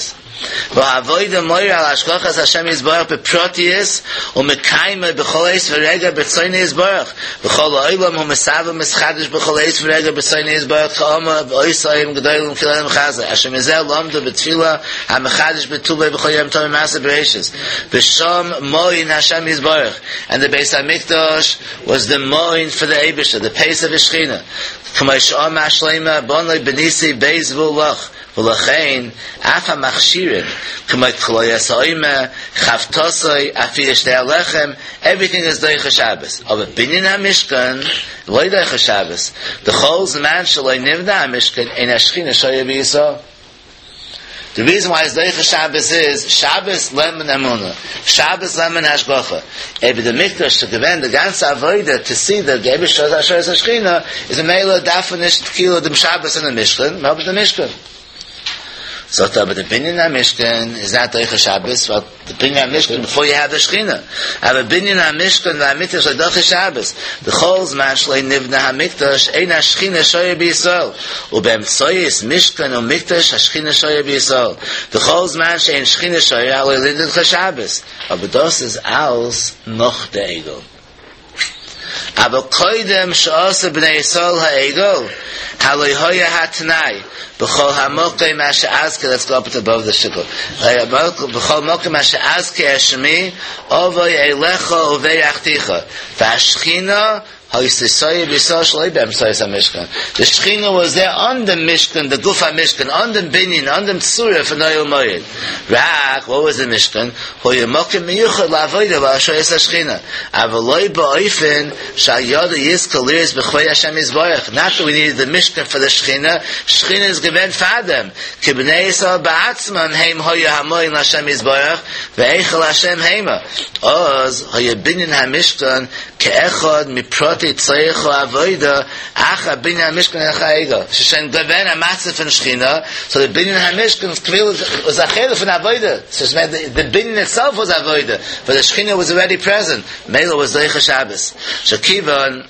והעבודה מורה על השגחת השם יתברך בפרטיות ומקיימה בכל עת ורגע ברצונו יתברך. וכל העולם הוא מתהווה ומתחדש בכל עת ורגע ברצונו יתברך כאמור ועושה גדולים כי לעולם חסדו. אשר מזה למדו בתפילה המחדש בטובו בכל יום תמיד מעשה בראשית. ושם מעון השם יתברך. And the בית המקדש was the מעון for the אייבערשטער, the place of שכינה. כמו שאמר שלמה בנה בניתי בית והוא לך. ולכן אף המכשירים כמו כליות העומר חבטתו אפיית שתי הלחם everything is דוחה שבת אבער בנין המשכן לא דוחה שבת דכל זמן שלא נבנה המשכן אין השכינה שורה בישראל The reason why it's דוחה שבת is שבת לערנט מען אמונה, שבת לערנט מען השגחה. אבער די מקדש צו געווען די גאנצע עבודה to see the אייבערשטער השראת השכינה איז ממילא דארף מען נישט כאילו דעם שבת אין דעם משכן, מען האט דעם משכן. זאגט אבער די בנין המשכן is not דוחה שבת, ווייל די בנין המשכן before you have the שכינה. אבער בנין המשכן והמקדש לא דוחה שבת. דכל זמן שלא נבנה המקדש אין השכינה שורה בישראל. ובאמצעות משכן ומקדש השכינה שורה בישראל. דכל זמן שאין שכינה שורה לא נדחה שבת. אבער דאס איז אלץ נאך די עגל. אבער קודם שעשו בני ישראל העגל, הלא היה התנאי, בכל המקום אשר אזכיר, let's go up above the shikol. בכל מקום אשר אזכיר את שמי, אבוא אליך וברכתיך. והשכינה היתה שורה בישראל שלא באמצעות המשכן. The שכינה was there on the משכן, the גוף המשכן, on the בנין, on the צורה for אוהל מועד. רק, what was the משכן? היה מקום מיוחד לעבודה להשראת השכינה. אבל לא באופן שעל ידו יזכה לראות בכבוד השם יתברך. Not that we needed the משכן for the שכינה. שכינה איז געווען פאר דעם. כי בני ישראל בעצמם הם היו המעון להשם יתברך והיכל השם המה. אז היה בנין המשכן כאחד מפרטי צורך העבודה אחר בנין המשכן אחר העגל. שוין געווען א מצב פון שכינה, so the בנין המשכן was a חלק פון עבודה. So the, the בנין itself was עבודה, but the שכינה was already present. ממילא was דוחה שבת. שכיוון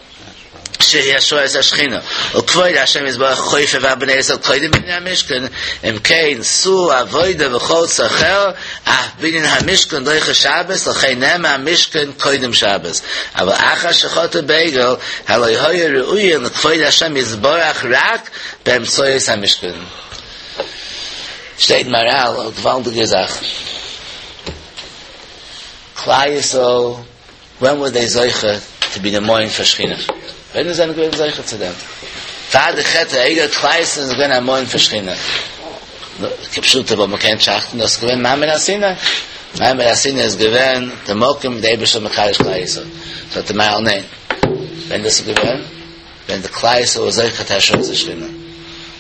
שהיא השראת השכינה. וכבוד השם יתברך חופף על בני ישראל קודם בנין המשכן, אם כן סור עבודה וכל צרכיה, אף בנין המשכן דוחה שבת, לכן נאמר משכן קודם שבת. אבל אחר שחטאו בעגל, הלא היו ראויים לכבוד השם יתברך רק באמצעות המשכן. שטייט מהר"ל, א געוואלדיגע זאך. כלל ישראל, when were they זוכה to be the מעון for שכינה? ווען זענען געווען זוכה צו דעם? פאר די חטא העגל כלל ישראל איז געווען א מעון פאר שכינה. כפשוטו, אבער מ'קען טראכטן, דאס געווען מעמד הר סיני. מעמד הר סיני איז געווען דער מקום דער אייבערשטער מקדש כלל ישראל. זאגט דער מהר"ל ניין. ווען דאס איז געווען? ווען די כלל ישראל איז זוכה צו השראת השכינה.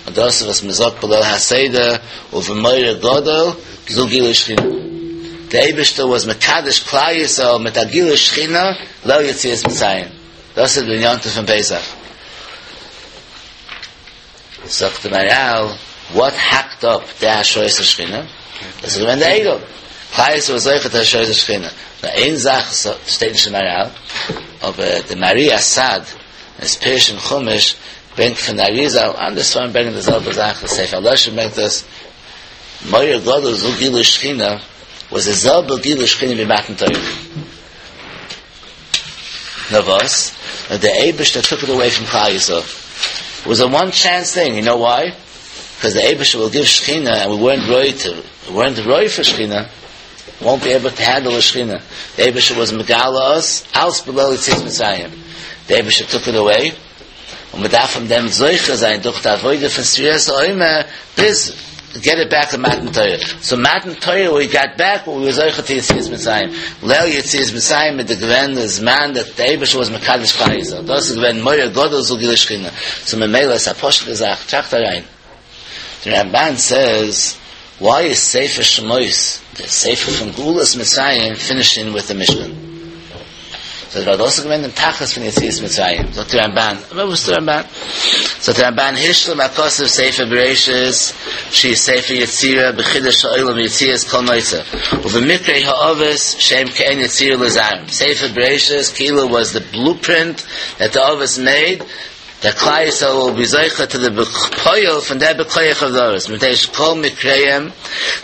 און דאס איז וואס מען זאגט בליל הסדר ובמורא גדול זו גילוי שכינה. דער אייבערשטער וואס מקדש כלל ישראל מיט א גילוי שכינה ליל יציאת מצרים. דאס איז די יום טוב פון פסח. זאגט דער מהר"ל, וואט האקט אפ די השראת השכינה? דאס איז געווען די עגל. כלל ישראל איז זוכה צו השראת השכינה. נאר איין זאך שטייט נישט אין מהר"ל, אבער די מהר"י אסאד אין his פירוש אין חומש ברענגט פון די אריז"ל, אנדערע ספרים ברענגען די זעלבע זאך, די ספר הלשון ברענגט עס, מורא גדול זו גילוי שכינה, וואס די זעלבע גילוי שכינה ווי מתן תורה. נאר וואס? נאר דער אייבערשטער טוק איט אוועי פון כלל ישראל. איט וואס א וואן טשענס טינג, יו נאו וויי? קאז דער אייבערשטער וויל גיוו שכינה ענד ווי ווערנט ראוי טו, ווי ווערנט ראוי פאר שכינה, וואנט בי עיבל טו הענדל די שכינה. דער אייבערשטער וואס מגלה אס אלס בליל יציאת מצרים. דער אייבערשטער טוק איט אוועי, און מען דארף פון דעם זוכה זיין דורך די עבודה פון ספירת העומר ביז געט איט בעק אין מתן תורה. סאו מתן תורה ווי גאט בעק וואט ווי ווער זוכה טו יציאת מצרים. ליל יציאת מצרים איז די געווען די זמן דעט די אייבערשטער וואס מקדש כלל ישראל. דאס איז געווען מורא גדול זו גילוי שכינה. סאו ממילא איז א פשוטע זאך, טראכט אריין. די רמבן סעז וויי איז ספר שמות די ספר פון גאולת מצרים פינישינג וויט די משכן? זאגט ווייל דאס איז געווען דעם תכלית פון יציאת מצרים, זאגט די רמבן, אבער וואס איז די רמבן? זאגט די רמבן השלים הכתוב ספר בראשית שהיא ספר יצירה בחידוש העולם ויציאת כל נוצר ובמקרה האבות שהם כעין יצירה לזרעם ספר בראשית כאילו was the blueprint that the אבות made דעט כלל ישראל וויל בי זוכה טו די בפועל פון דער בכח אוו די אבות, מפני שכל מקריהם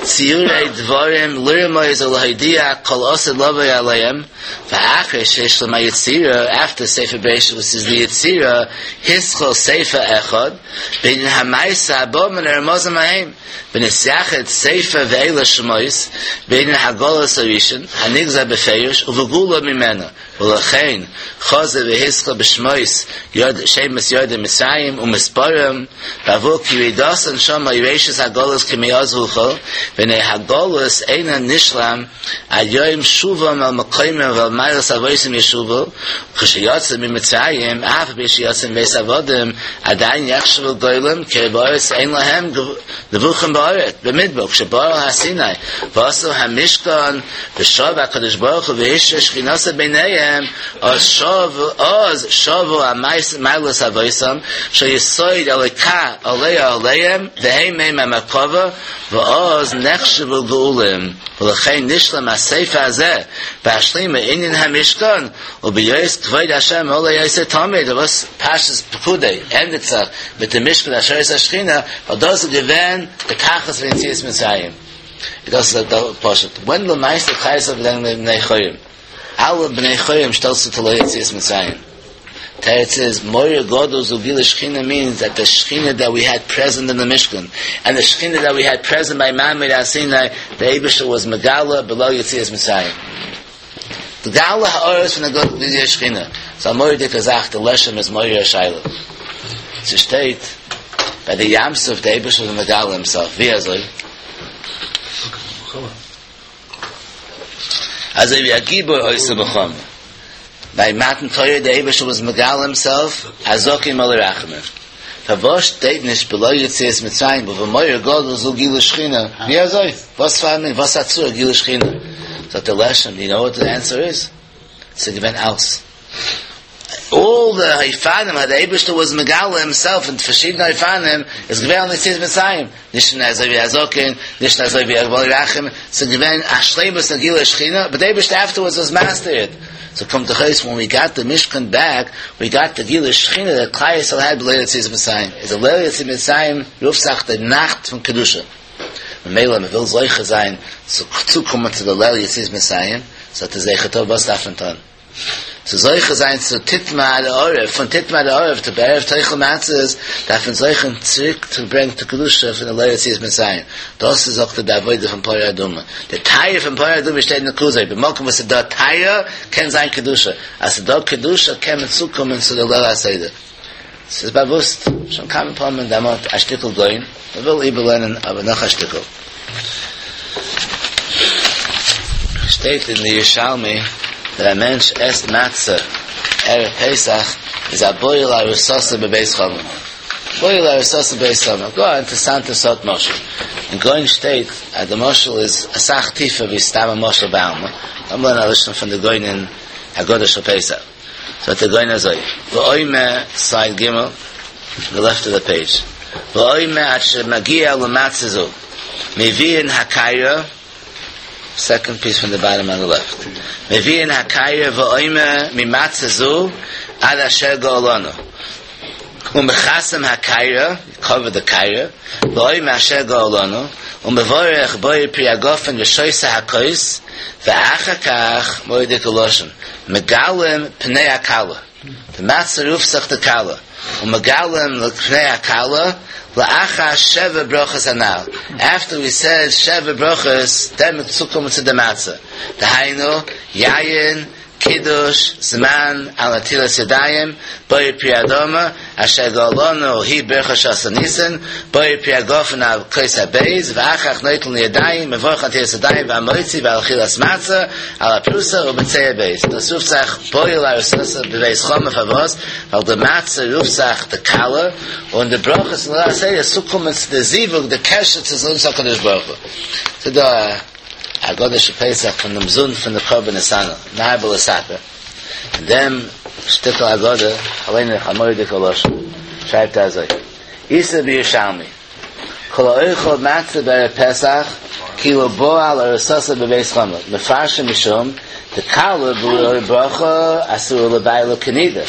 ציורי דברים לרמוז ולהודיע כל העתיד לבוא עליהם, ואחרי שהשלים היצירה, אפטער ספר בראשית וואס איז די יצירה, התחיל ספר אחד, בענין המעשה הבא מן הרמזים ההם, ונתייחד ספר ואלה שמות, בענין הגלות הראשון, הנגזר בפירוש, ובגאולה ממנה. ולכן חזר והזכיר בשמות ירד שמות יורדי מצרים ומספרם בעבור כי ירידתן שם היא ראשית הגלות כימי אז וכו' והנה הגלות אינה נשלם עד יום שובם אל מקומם ואל מעלות אבותם ישובו וכשיצאו ממצרים אף על פי שיצאו מבית עבדים עדיין יחשבו גולים כי בארץ אין להם נבוכים בארץ במדבר כשבאו אל הר סיני ועשו המשכן ושב הקדוש ברוך הוא והשרה שכינתו ביניהם, אז שב אז שבו מעלות אבותם, שיסוד אלוקה עולה עליהם, והם הם המרכבה, ואז נחשבו גאולים, ולכן נשלם הספר הזה, בהשלים ענין המשכן, ובהיות כבוד השם עולה יותר תמיד, וואס פרשת פקודי ענדיגט זיך מיט די משכן השראת השכינה, ווייל דאס איז געווען די תכלית פון יציאת מצרים. דאס איז דאך פשוט. ווען למעשה כלל ישראל זענען בני חורין. אלע בני חורין שטעלסטו צו ליל יציאת מצרים. תירוץ איז, מורא גדול זו גילוי שכינה מיענס דעט די שכינה דעט ווי העד פרעזענט אין די משכן, ענד די שכינה דעט ווי העד פרעזענט ביי מעמד הר סיני, די אייבישטער וואס מגלה בליל יציאת מצרים. די גאולה הארץ פון די גילוי שכינה. ס'איז א מורא'דיגע זאך, די לשם איז מעורר א שאלה. ס'שטייט ביי די ים סוף די אייבישטער איז מגלה הימסעלף, ווי אזוי? אזוי ווי א גיבור עושה מלחמה. ביי מתן תורה די אייבערשטער וואס מגלה הימסעלף הזקן מלא רחמים. פארוואס שטייט נישט בליל יציאת מצרים ובמורא גדול זו גילוי שכינה? ווי אזוי? וואס פאר א מין וואס א צורה גילוי שכינה? זאגט דער לשם, יו נאו וואט די ענסער איז? ס'איז געווען אלס. אלל די אופנים אז די אייבערשטער וואס מגלה הימסעלף אין פארשידענע אופנים איז געווען אין יציאת מצרים, נישט אין אזוי ווי א זקן, נישט אזוי ווי א מלא רחמים, ס'איז געווען א שלימות אין גילוי שכינה, באט די אייבערשטער אפטערווארדס וואס מסתיר איט. סאו קומט דאך אויס ווען ווי גאט די משכן בעק, ווי גאט די גילוי שכינה דעט כלל ישראל העד בליל יציאת מצרים, איז די ליל יציאת מצרים רופט זיך די נאכט פון קדושה, ממילא מען וויל זוכה זיין צו צוקומען צו די ליל יציאת מצרים, זאגט דער זכר טוב וואס דארף מען טון? צו זוכה זיין צו תטמא עד הערב, פון תטמא עד הערב צו בערב תאכל מצות, דארף מען זוכה צוריק צו ברענגען די קדושה פון די ליל יציאת מצרים, דאס איז זאגט ער די עבודה פון פרה אדומה, די טהרה פון פרה אדומה שטייט אין כוזרי, במקום וואס איז דא טהרה קען זיין קדושה, אז ס'איז דא קדושה קען מען צוקומען צו די ליל הסדר. ס'איז באוואוסט שוין כמה פעמים דערמאנט א שטיקל גאון, מ'וויל איבערלערנען אבער נאך א שטיקל. שטייט אין די ירושלמי that א מענטש עסט מצה ערב פסח איז א בועל ארוסתו בבית חמיו. בועל ארוסתו בבית חמיו. גאר א אינטערעסאנטע סארט משל. אין גאון שטייט אז די משל איז אסאך טיפער ווי סתם א משל בעלמא. לאמיר לערנען א לשון פון די גאון אין הגדה של פסח. זאגט דער גאון אזוי, ואומר, סייד ג', די לעפט אוו די פעידזש, ואומר עד שמגיע למצה זו, מביאין הקערה, סעקאנד פיס פון די באטאם אן די לעפט, מביאין הקערה ואומר ממצה זו עד אשר גאלנו, ומכסים הקערה, קאווער די קערה, ואומר אשר גאלנו, ומברך בורא פרי הגפן ושותה הכוס, ואחר כך, מורא'דיגע לשון, מגלים פני הכלה, די מצה רופט זיך די כלה, ומגלים פני הכלה, לאחר שבע ברכות הנ"ל, after we said שבע ברכות, דען מ'וועט צוקומען צו די מצה, דהיינו, יין, קידוש, זמן, על נטילת ידיים, בורא פרי האדמה, אשר גאלנו היא ברכה שעשה ניסן, בורא פרי הגפן על כוס הב', ואחר כך נוטל ידיים, מברך על נטילת ידיים והמוציא ועל אכילת מצה, על הפרוסה ובצער ב'. דאס רופט זיך בועל ארוסתו בבית חמיו פארוואס? ווייל די מצה רופט זיך די כלה, און די ברכות אין ליל הסדר איז צוקומען צו די זיווג, די קשר צו אונז הקדוש ברוך הוא. ס'דא א. הגדה של פסח פון דעם זון פון די קרבן נתנאל, מרבה לספר, אין דעם שטיקל הגדה, ליין איך א מורא'דיגע לשון, שרייבט ער אזוי, איתא בירושלמי, כל האוכל מצה בערב פסח כאילו בעל ארוסתו בבית חמיו, מפרשים משום דכלה בלא ברכה אסורה לבעלה כנידה,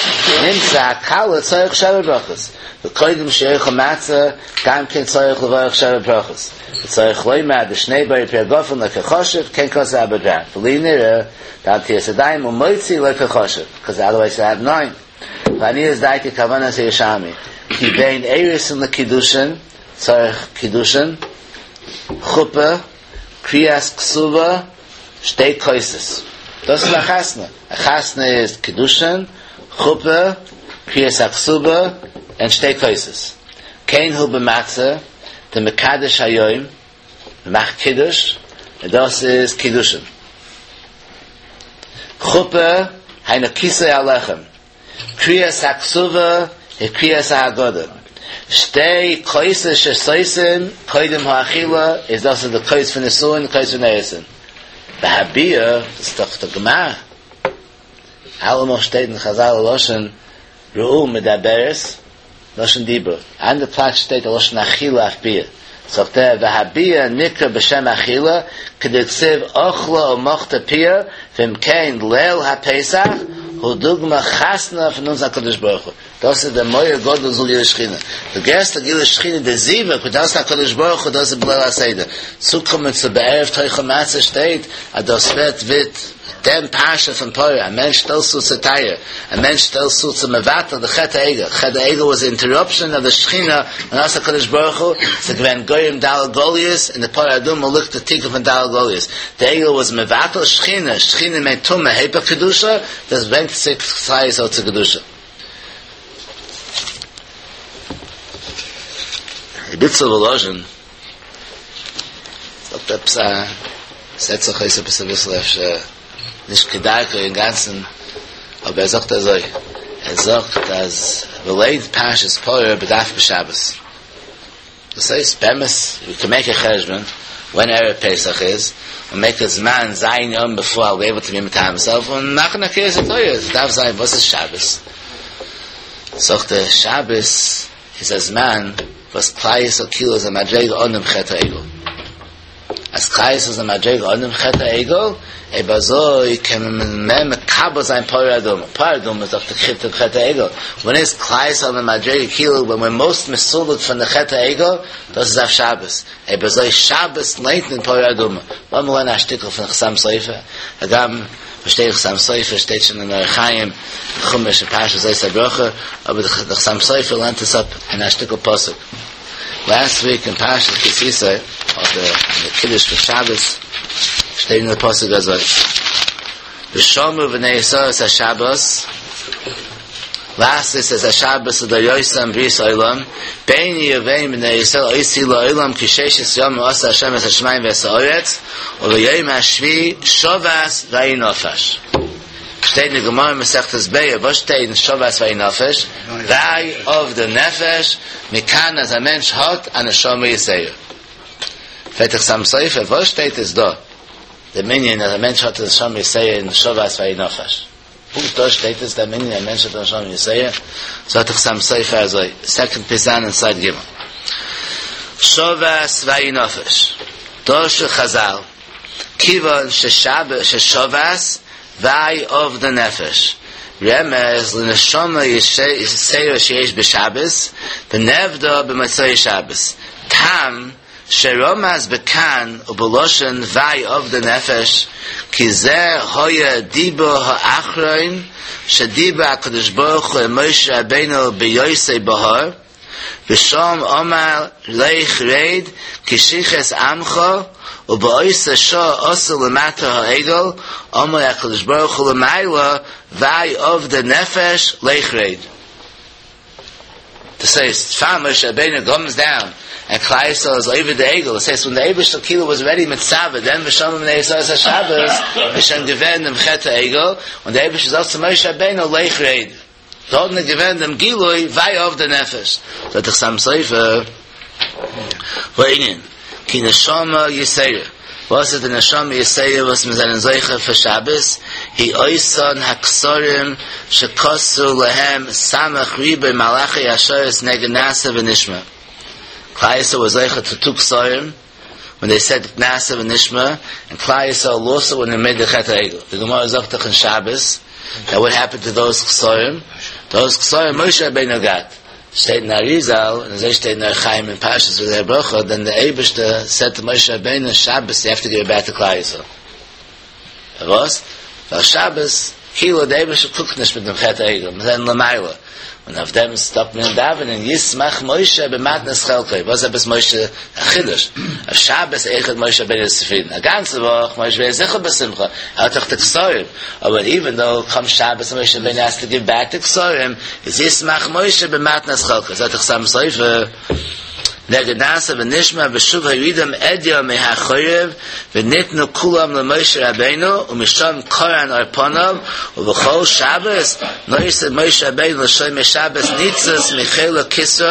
נמצא הכלה צריך שבע ברכות, וקודם שיאכל מצה גם כן צריך לברך שבע ברכות. וצריך לומר דשני בורא פרי הגפן לא קא חשיב כן כתב אבודרהם ולי נראה דנטילת ידיים ומוציא לא קא חשיב because otherwise you have nine לעניות דעתי כוונת הירושלמי כי בין אירוסין לקידושין צריך קידושין חופה קריאת כתובה שתי כוסות דאס איז א חתונה א חתונה איז קידושין חופה קריאת הכתובה און שתי כוסות כן הוא במצה דמקדש היום מ'מאכט קידוש און דאס איז קידושין חופה היינו כיסוי הלחם קריאת הכתובה היא קריאת ההגדה שתי כוסות ששותין קודם האכילה איז דאס איז די כוס פון נישואין כוס פון אירוסין והביאה איז דאך די גמרא אלעמאל שטייט אין חזל לשון ראו מדברת לשון דיבור אן די פלאץ שטייט א לשון אכילה אויף ביאה זאגט ער והביאה נקרא בשם אכילה כדכתיב אכלה ומחתה פיה ואם כן ליל הפסח הוא דוגמא חתונה פון אונז הקדוש ברוך הוא דאס איז דער מאור גדול זול גילוי שכינה די גרעסטע גילוי שכינה די זיווג וואס דאס הקדוש ברוך הוא דאס איז בליל הסדר צוקומען צו בערב תאכל מצה שטייט אז דאס ווערט ווערט דעם פרשה פון פרה, א מענטש שטעלט צו צו טהרה, א מענטש שטעלט צו צו מבטל די חטא העגל, חטא העגל was the interruption of the שכינה און אז הקדוש ברוך הוא, ס'איז געווען גורם ד' גליות, אין די פרה אדומה ליגט די תיקון פון ד' גליות, די עגל was מבטל שכינה, שכינה מיינט טומאה היפך קדושה, דאס ברענגט צוריק כלל ישראל צו קדושה. ר' איצל וואלאזשין זאגט עפעס א, ס'זעט זיך אויס עפעס אביסל אפשר נישט כדרכו אינגאנצן, אבער ער זאגט אזוי, ער זאגט אז מ'ליינט פרשת פרה בדווקא שבת, דאס הייסט באמת you can make a חשבון when ערב פסח איז, און make a זמן ז' יום before I'll be able to be מטהר myself און מאכן א קריאת התורה, עס דארף זיין וואס איז שבת? זאגט ער שבת איז א זמן וואס כלל ישראל כאילו איז א מדריגה אנעם חטא העגל. אז כלל ישראל איז א מדריגה אנעם חטא העגל, אויב אזוי קען מען מער מקבל זיין פרה אדומה. פרה אדומה איז דאך די חטא חטא העגל. ווען איז כלל ישראל א מדריגה כאילו ווען we're most מסולק פון די חטא העגל, דאס איז אויף שבת. אויב אזוי שבת ליינט מען פרה אדומה. לאמיר לערנען א שטיקל פון חתם סופר, הגם פארשטיי איך חתם סופר שטייט שוין אין אורח חיים, חומש אין פרשת זאת הברכה, אבער די חתם סופר לערנט עס אפ אין א שטיקל פסוק. Last week אין פרשת כי תשא, אדער אין די קידוש פון שבת, שטייט אין די פסוק אזוי, ושמרו בני ישראל את השבת, לעשות את השבת לדורותם ברית עולם, ביני ובין בני ישראל אות היא לעולם כי ששת ימים עשה השם את השמים ואת הארץ, וביום השביעי שבת וינפש. שטייט אין די גמרא מסכת ביצה, וואס שטייט אין שבת וינפש? וויי אבדה נפש, מכאן אז א מענטש האט א נשמה יתירה. פרעגט דער חתם סופר, וואס שטייט עס דא דעם ענין אז א מענטש האט א נשמה יתירה אין שבת וינפש? פונקט דא שטייט עס דעם ענין א מענטש האט א נשמה יתירה? זאגט דער חתם סופר אזוי, סעקאנד פיסאן אין סייד ג' שבת וינפש, דרשו חזל, כיוון ששבת וויי אבדה נפש, רמז לנשמה יתירה שיש בשבת, ונאבדה במוצאי שבת, טעם שרמז בכאן ובלשון וויי אבדה נפש, כי זה היה דיבור האחרון שדיבר הקדוש ברוך הוא עם משה רבינו בהיותו בהר, ושם אמר לך רד כי שחת עמך ובאותה שעה עשו למטה העגל, אמר הקדוש ברוך הוא למעלה וויי אבדה נפש לך רד. דאס הייסט, פאר משה רבינו comes down and כלל ישראל איז עובד די עגל, דאס הייסט ווען די אייבערשטער כאילו was already מצווה דעם ושמרו בני ישראל את השבת, איז שוין געווען דעם חטא העגל, און דער אייבערשטער זאגט צו משה רבינו לך רד. דארטן איז געווען דעם גילוי וויי אבדה נפש, זאגט דער חתם סופר, והענין, כי נשמה יתירה, וואס איז די נשמה יתירה וואס מיר זענען זוכה פאר שבת, היא אותן הכתרים שכתרו להם סמך ריבוא מלאכי השרת נגד נעשה ונשמע. כלל ישראל was זוכה to two כתרים, when they said נעשה ונשמע, and כלל ישראל lost it when they made the חטא העגל. The Gemara זאגט דאך אין שבת, that what happened to those כתרים? Those כתרים משה רבינו got. שטייט אין אריזל, און אזוי שטייט אין אור החיים אין פרשת וזאת הברכה, then the אייבערשטער said to Moshe Rabbeinu, Shabbos, you have to give it back to כלל ישראל. וואס? ווייל שבת, כאילו דער אייבערשטער קוקט נישט מיט דעם חטא העגל, מיר זענען למעלה. און אויף דעם סטאפט מען דאווענען, ישמח משה במתנת חלקו. וואס עפעס משה? א חידוש. אויף שבת אויכעט משה רבינו איז צופרידן. א גאנצע וואך, משה רבינו איז זיכער בשמחה. ער האט דאך די כתרים. אבער even though comes שבת and משה רבינו has to give back the כתרים, איז ישמח משה במתנת חלקו. זאגט דער חתם סופר, נגד נעשה ונשמע ושוב הורידם אדיא מהחורב וניתנו כולם למשה רבינו ומשם קרן אור פניו ובכל שבת נושא משה רבינו לשומר שבת ניצוץ מחלק כתרו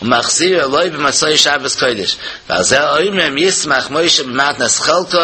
ומחזיר לו במוצאי שבת קודש ועל זה אומרים ישמח משה במתנת חלקו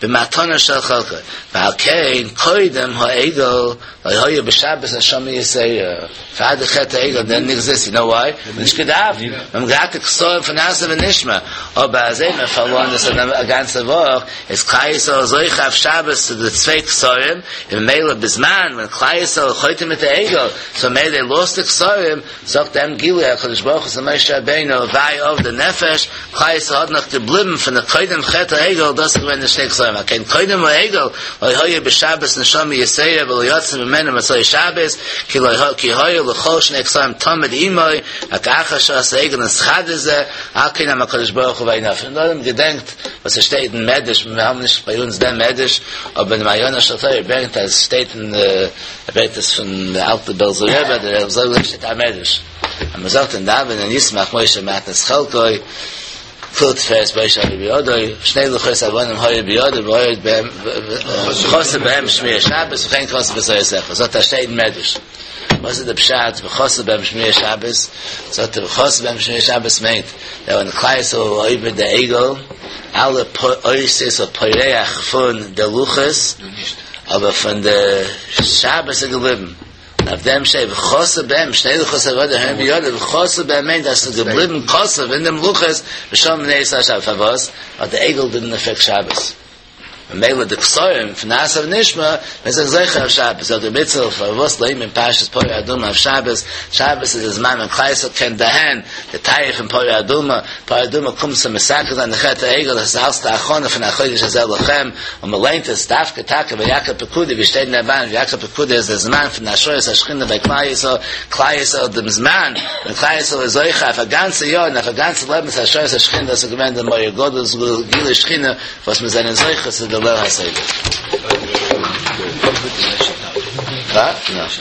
במתנה של חלקו ועל כן קודם העגל לא היה בשבת נשמה יתירה פאר די חטא העגל didn't exist you know why נישט געדארפט מען געהאט די כתרים פון נעשה ונשמע אבער אז מ'האט פארלוירן דאס א גאנצע וואך איז כלל ישראל זוכה אויף שבת צו די צוויי כתרים און ממילא בזמן ווען כלל ישראל חוטא מיט די עגל so ממילא they lost the כתרים זאגט דעם גילוי הקדוש ברוך הוא צו משה רבינו וויי אבדה נפש כלל ישראל האט נאך געבליבן פון די קודם חטא העגל דאס איז געווען די שני כתרים על כן קודם העגל לא היה בשבת נשמה יתירה ולא יצא ממנו מוצאי שבת כי לא כי היה לכל שני כתרים תמיד עמו רק אחר שעשה העגל נתחדש זה על כן אמר הקדוש ברוך הוא וינפש און דאן געדענקט וואס עס שטייט אין מדרש מיר האבן נישט ביי אונז דעם מדרש אבער אין מעיינו של תורה ברענגט אז עס שטייט אין ער ברענגט עס פון דער אלטער בעלזער רבי דער רבי זאגט שטייט א מדרש אז מען זאגט אין דאווענען ישמח משה במתנת חלקו כּל תפארת משה היו בידו שני לוחות אבנים היו בידו והיה בהם וחסר בהם שמירת שבת וכן כתוב בתורתך זאגט ער שטייט אין מדרש וואס איז דער פשט וחסר בהם שמירת שבת זאגט ער וחסר בהם שמירת שבת מיינט דער ווען כלל ישראל עובד דער עגל אלע אותיות פורח פון די לוחות אבער פון די שבת איז געבליבן אויף דעם שטייט וחסר בהם שני לוחות אבנים היו בידו וחסר בהם מיינט אז ס'איז געבליבן כתוב אין דעם לוחות ושמרו בני ישראל שבת פארוואס ווייל די עגל didn't affect שבת ממילא די כתרים פון נעשה ונשמע מיר זענען זוכה אויף שבת זאגט ר' איצל פארוואס לייענט מען פרשת פרה אדומה אויף שבת שבת איז די זמן ווען כלל ישראל קען דערהערן די טייער פון פרה אדומה פרה אדומה קומט צו מתקן זיין די חטא העגל דאס איז אלס די הכנה פון החודש הזה לכם און מען ליינט עס דווקא טאקע ויקהל פקודי ווי שטייט אין רמב"ן ויקהל פקודי איז דער זמן פון השראת השכינה ביי כלל ישראל כלל ישראל דעם זמן ווען כלל ישראל איז זוכה אויף א גאנצע יאר און אויף א גאנצע לעבן צו השראת השכינה דאס איז געווען דער מאור גדול גילוי שכינה וואס מיר זענען זוכה צו די ליל הסדר. וואס?